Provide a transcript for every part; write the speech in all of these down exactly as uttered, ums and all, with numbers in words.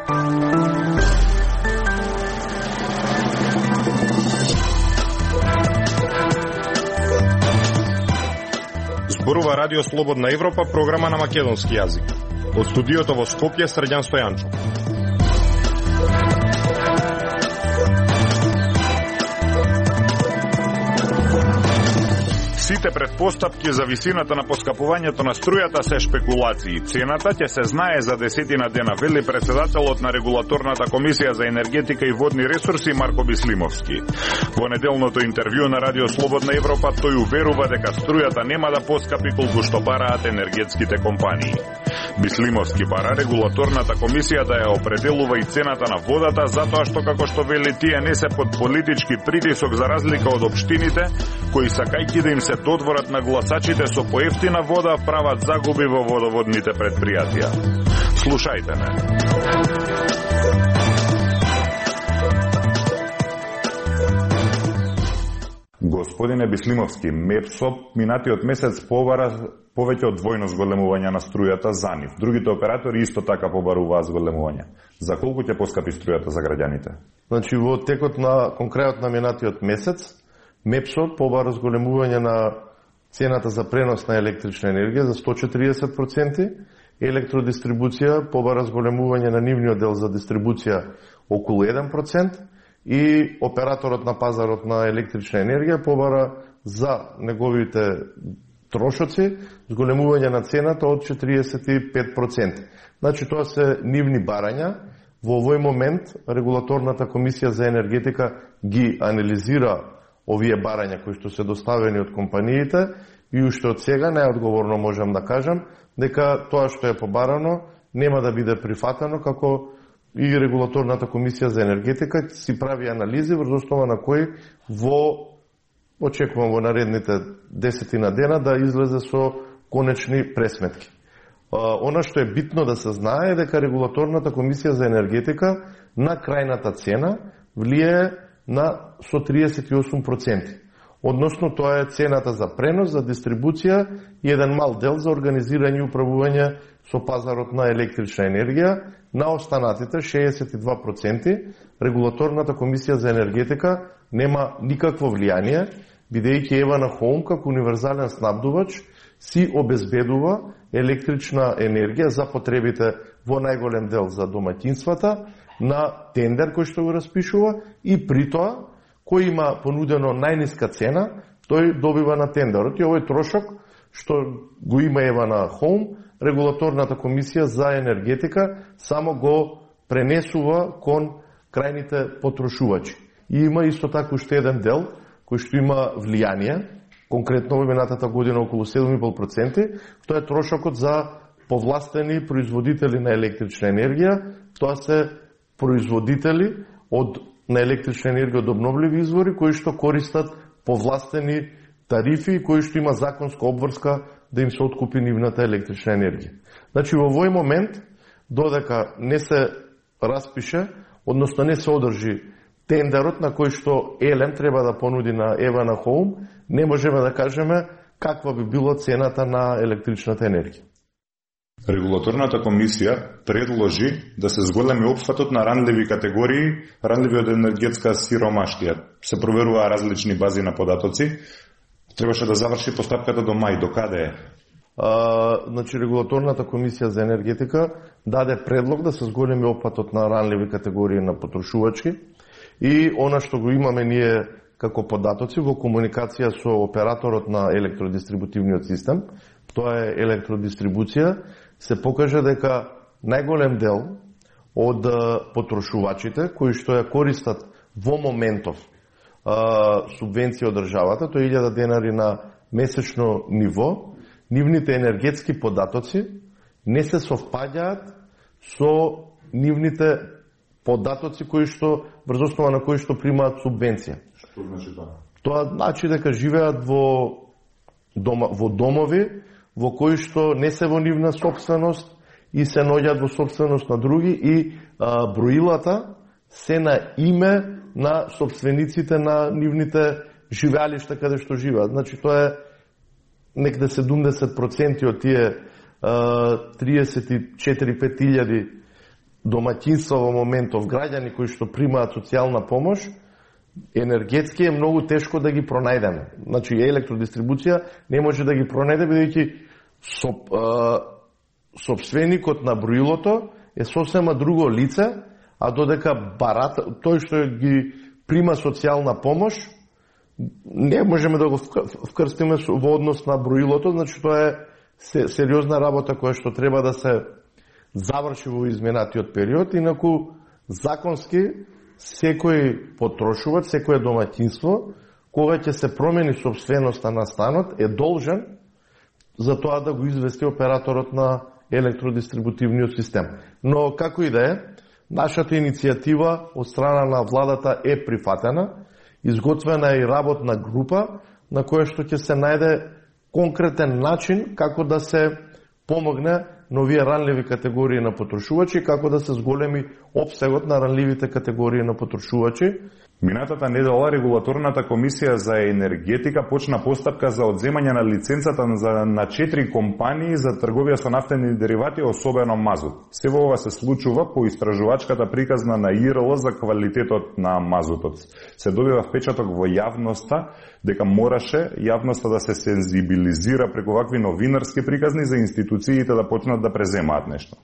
Зборува Радио Слободна Европа, програма на македонски јазик. Од студиото во Скопје, Срđan Стојанчов. Сите предпоставки за висината на поскапувањето на струјата се шпекулации. Цената ќе се знае за десетина дена, вели председателот на Регулаторната комисија за енергетика и водни ресурси Марко Бислимовски. Во неделното интервју на Радио Слободна Европа тој уверува дека струјата нема да поскапи колку што бараат енергетските компании. Бислимовски бара Регулаторната комисија да ја определува и цената на водата, затоа што, како што вели, тие не се под политички притисок за разлика од општините, кои сакајќи да им се додворат на гласачите со поевтина вода, прават загуби во водоводните предпријатија. Слушајте ме. Господине Бислимовски, МЕПСО минатиот месец побара повеќе од двојно зголемување на струјата за нив. Другите оператори исто така побаруваат зголемување. За колку ќе поскапи струјата за граѓаните? Значи, во текот на конкретно на минатиот месец, МЕПСО побара зголемување на цената за пренос на електрична енергија за сто четиридесет проценти, електродистрибуција побара зголемување на нивниот дел за дистрибуција околу еден процент и операторот на пазарот на електрична енергија побара за неговите трошоци зголемување на цената од четиридесет и пет проценти. Значи, тоа се нивни барања. Во овој момент Регулаторната комисија за енергетика ги анализира овие барања кои што се доставени од компаниите и уште од сега најодговорно можам да кажам дека тоа што е побарано нема да биде прифатено, како и Регулаторната комисија за енергетика си прави анализи врз основа на кои во очекувам во наредните десетина дена да излезе со конечни пресметки. Она што е битно да се знае е дека Регулаторната комисија за енергетика на крајната цена влијае на со триесет и осум проценти. Односно, тоа е цената за пренос, за дистрибуција и еден мал дел за организирање и управување со пазарот на електрична енергија. На останатите шеесет и два проценти Регулаторната комисија за енергетика нема никакво влијание, бидејќи Евана Хоум како универзален снабдувач си обезбедува електрична енергија за потребите во најголем дел за домаќинствата на тендер кој што го распишува и при тоа кој има понудено најниска цена, тој добива на тендерот. И овој трошок што го има Евана Хоум, Регулаторната комисија за енергетика само го пренесува кон крајните потрошувачи. И има исто така уште еден дел кој што има влијание, конкретно во минатата година околу седум и пол проценти, тоа е трошокот за повластени производители на електрична енергија. Тоа се производители од на електрична енергија од обновливи извори кои што користат повластени тарифи и кои што има законска обврска да им се откупи нивната електрична енергија. Значи, во овој момент, додека не се распише, односно не се одржи тендерот на кој што Елем треба да понуди на Евана Хоум, не можеме да кажеме каква би била цената на електричната енергија. Регулаторната комисија предложи да се зголеми опфатот на ранливи категории, ранливи од енергетска сиромаштија. Се проверуваа различни бази на податоци. Требаше да заврши постапката до мај. До каде е? А, значи, Регулаторната комисија за енергетика даде предлог да се зголеми опфатот на ранливи категории на потрошувачки и она што го имаме ние како податоци во комуникација со операторот на електродистрибутивниот систем, тоа е електродистрибуција, се покажа дека најголем дел од потрошувачите кои што ја користат во моментов а, субвенција од државата, тоа е илјада денари на месечно ниво, нивните енергетски податоци не се совпаѓаат со нивните податоци кои што врз основа на кои што примаат субвенција. Што значи тоа? Тоа значи дека живеат во дома, во домови во кои што не се во нивна собственост и се наоѓаат во собственост на други и а, броилата се на име на собствениците на нивните живеалишта каде што живеат. Значи тоа е некаде седумдесет проценти од тие а, триесет и четири до пет илјади домаќинства во моментов, граѓани кои што примаат социјална помош, енергетски е многу тешко да ги пронајдеме. Значи, електродистрибуција не може да ги пронајде, бидејќи соп, собственикот на броилото е сосема друго лице, а додека барата, тој што ги прима социјална помош, не можеме да го вкрстиме во однос на броилото, значи тоа е сериозна работа која што треба да се заврши во изминатиот период, инаку законски секој потрошувач, секој домаќинство, кога ќе се промени собственоста на станот, е должен за тоа да го извести операторот на електродистрибутивниот систем. Но како и да е, нашата иницијатива од страна на владата е прифатена, изготвена е и работна група на која што ќе се најде конкретен начин како да се помогне на овие ранливи категории на потрошувачи, како да се зголеми опсегот на ранливите категории на потрошувачи. Минатата недела Регулаторната комисија за енергетика почна постапка за одземање на лиценцата на четири компании за трговија со нафтени деривати, особено мазут. Сево ова се случува по истражувачката приказна на И Р Л за квалитетот на мазутот. Се добива впечаток во јавноста дека мораше јавноста да се сензибилизира преку вакви новинарски приказни за институциите да почнат да преземаат нешто.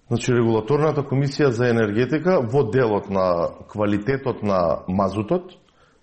Значи, Регулаторната комисија за енергетика во делот на квалитетот на мазутот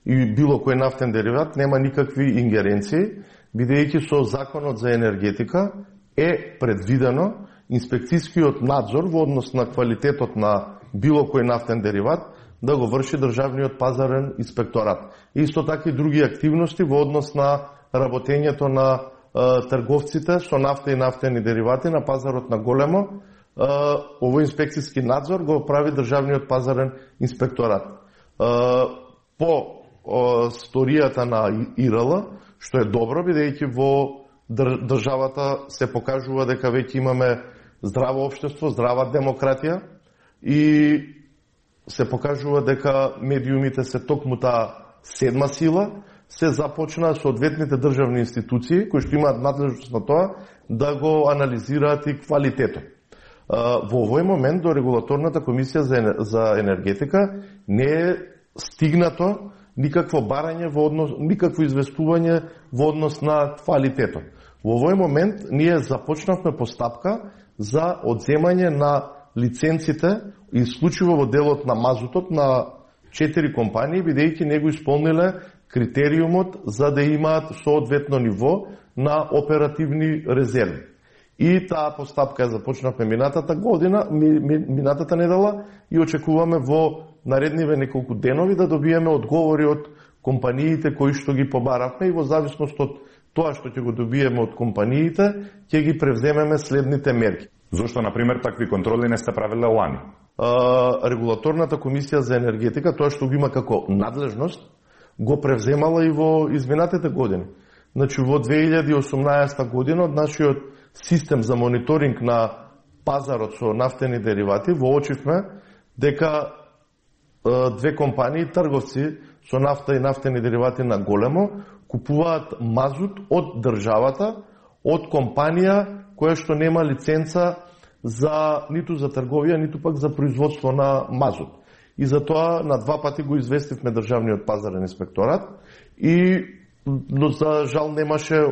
и било кој нафтен дериват нема никакви ингеренции, бидејќи со Законот за енергетика е предвидено инспекцијскиот надзор во однос на квалитетот на било кој нафтен дериват да го врши државниот пазарен инспекторат. Исто така и други активности во однос на работењето на е, трговците со нафта и нафтени деривати на пазарот на големо. Овој инспекцијски надзор го прави државниот пазарен инспекторат. По сторијата на И Р Л, што е добро, бидејќи во државата се покажува дека веќе имаме здраво општество, здрава демократија и се покажува дека медиумите се токму таа седма сила, се започна соодветните државни институции кои што имаат надлежност на тоа да го анализираат и квалитетот. Во овој момент до Регулаторната комисија за енергетика не е стигнато никакво барање во однос, никакво известување во однос на квалитетот. Во овој момент ние започнавме постапка за одземање на лиценците исклучиво во делот на мазутот на четири компании, бидејќи не го исполниле критериумот за да имаат соодветно ниво на оперативни резерви. И таа постапка ја започнавме минатата година, минатата недела и очекуваме во наредниве неколку денови да добиеме одговори од компаниите кои што ги побаравме и во зависност од тоа што ќе го добиеме од компаниите, ќе ги превземеме следните мерки. Зошто, например, такви контроли не сте правиле лани? А, Регулаторната комисија за енергетика, тоа што го има како надлежност, го превземала и во изминатите години. Значи, во две илјади и осумнаесета година од нашиот систем за мониторинг на пазарот со нафтени деривати воочивме дека две компании трговци со нафта и нафтени деривати на големо купуваат мазут од државата, од компанија која што нема лиценца за ниту за трговија, ниту пак за производство на мазут. И затоа на два пати го известивме државниот пазарен инспекторат и но за жал немаше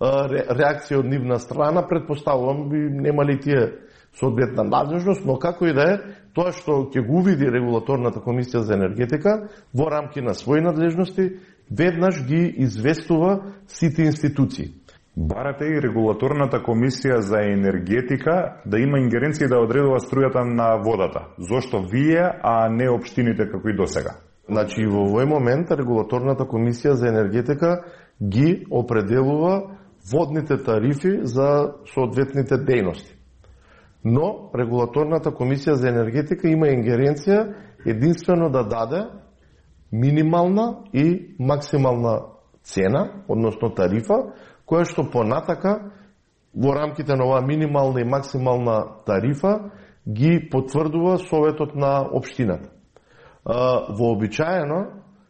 реакција од нивна страна, предпоставувам би немали тие соодветна надлежност, но како и да е, тоа што ќе го увиди Регулаторната комисија за енергетика во рамки на своји надлежности, веднаш ги известува сите институции. Барате и Регулаторната комисија за енергетика да има ингеренции да одредува струјата на водата. Зошто вие, а не општините како и досега? Значи, во овој момент Регулаторната комисија за енергетика ги определува водните тарифи за соодветните дејности. Но Регулаторната комисија за енергетика има ингеренција единствено да даде минимална и максимална цена, односно тарифа, која што понатака во рамките на оваа минимална и максимална тарифа ги потврдува Советот на општината. Вообичаено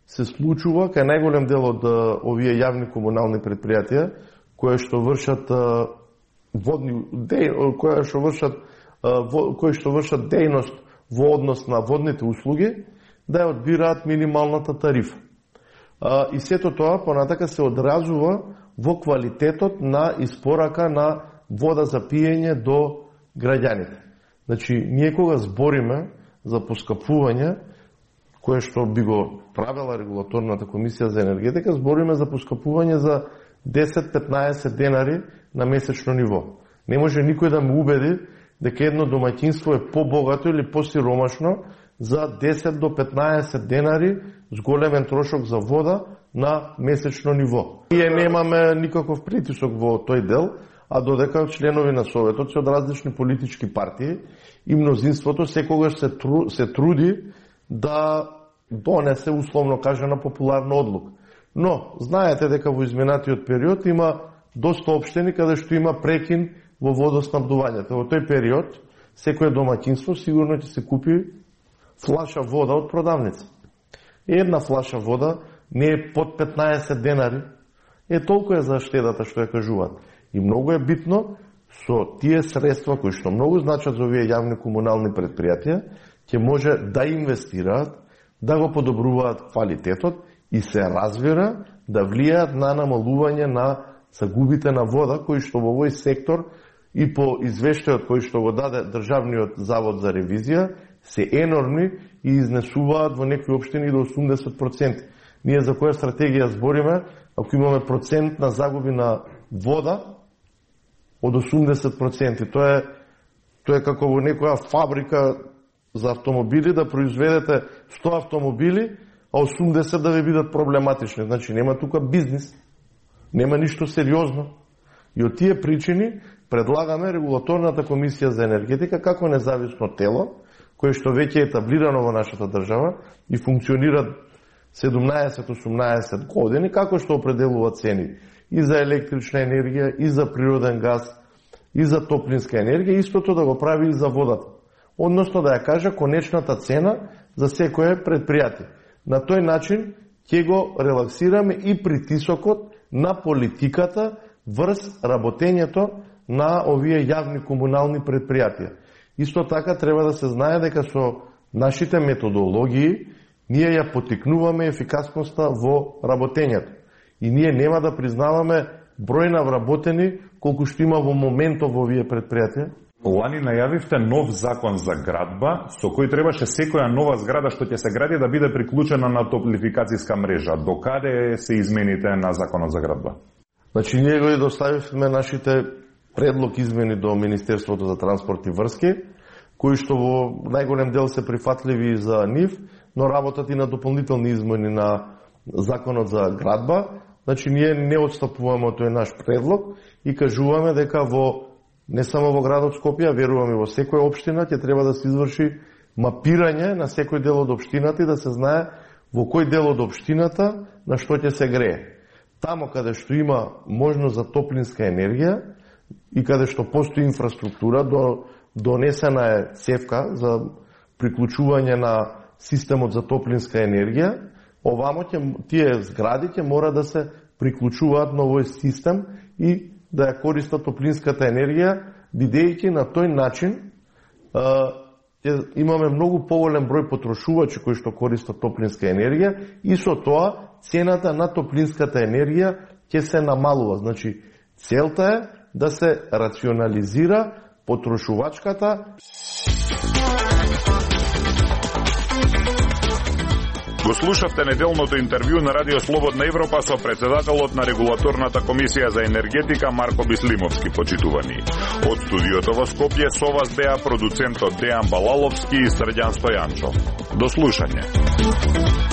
се случува кај најголем дел од овие јавни комунални предпријатија кои што вршат водни кои што вршат кои што вршат дејност во однос на водните услуги, да ја одбираат минималната тарифа. И сето тоа понатака се одразува во квалитетот на испорака на вода за пиење до граѓаните. Значи, ние кога збориме за поскапување, кое што би го правила регулаторната комисија за енергетика, збориме за поскапување за десет до петнаесет денари на месечно ниво. Не може никој да ме убеди дека едно домаќинство е побогато или посиромашно за десет до петнаесет денари с големен трошок за вода на месечно ниво. Ние немаме никаков притисок во тој дел, а додека членови на Советот се од различни политички партии и мнозинството секогаш се, тру, се труди да донесе условно кажана популарна одлука. Но, знаете дека во изминатиот период има доста општини каде што има прекин во водоснабдувањето. Во тој период, секој домаќинство сигурно ќе се купи флаша вода од продавница. Една флаша вода не е под петнаесет денари, е толку е за штедата што ја кажуваат. И многу е битно со тие средства кои што многу значат за овие јавни комунални предпријатија, ќе може да инвестираат, да го подобруваат квалитетот и се развира да влијаат на намалување на загубите на вода, кои што во овој сектор и по извештајот кој што го даде Државниот завод за ревизија се енормни и изнесуваат во некои општини до осумдесет проценти. Ние за која стратегија збориме, ако имаме процент на загуби на вода од осумдесет проценти. Тоа е, тоа е како во некоја фабрика за автомобили да произведете сто автомобили, а осумдесет да ви бидат проблематични. Значи нема тука бизнис, нема ништо сериозно. И од тие причини предлагаме регулаторната комисија за енергетика како независно тело, кое што веќе е етаблирано во нашата држава и функционира седумнаесет до осумнаесет години, како што определува цени и за електрична енергија, и за природен газ, и за топлинска енергија, истото да го прави и за водата. Односно да ја кажа конечната цена за секое предпријатие. На тој начин ќе го релаксираме и притисокот на политиката врз работењето на овие јавни комунални предпријатија. Исто така треба да се знае дека со нашите методологии ние ја потикнуваме ефикасноста во работењето. И ние нема да признаваме број на вработени колку што има во моментот во овие предпријатија. Лани најавивте нов закон за градба, со кој требаше секоја нова зграда што ќе се гради да биде приклучена на топлификацијска мрежа. До каде се измените на законот за градба? Значи, ние го доставивме нашите предлог измени до Министерството за транспорт и врски, кои што во најголем дел се прифатливи за нив, но работат и на дополнителни измени на законот за градба. Значи, ние не отстапуваме од тој наш предлог и кажуваме дека во не само во градот Скопје, веруваме во секоја општина ќе треба да се изврши мапирање на секој дел од општината и да се знае во кој дел од општината на што ќе се грее. Тамо каде што има можност за топлинска енергија и каде што постои инфраструктура, до, донесена е цевка за приклучување на системот за топлинска енергија, овамо ќе, тие згради ќе мора да се приклучуваат на овој систем и да ја користат топлинската енергија, бидејќи на тој начин а, имаме многу поголем број потрошувачи кои што користат топлинска енергија и со тоа цената на топлинската енергија ќе се намалува. Значи, целта е да се рационализира потрошувачката. Го слушавте неделното интервју на Радио Слободна Европа со председателот на Регулаторната комисија за енергетика Марко Бислимовски, почитувани. Од студиото во Скопје со вас беа продуцентот Дејан Балаловски и Срđan Стојанчов. До слушање.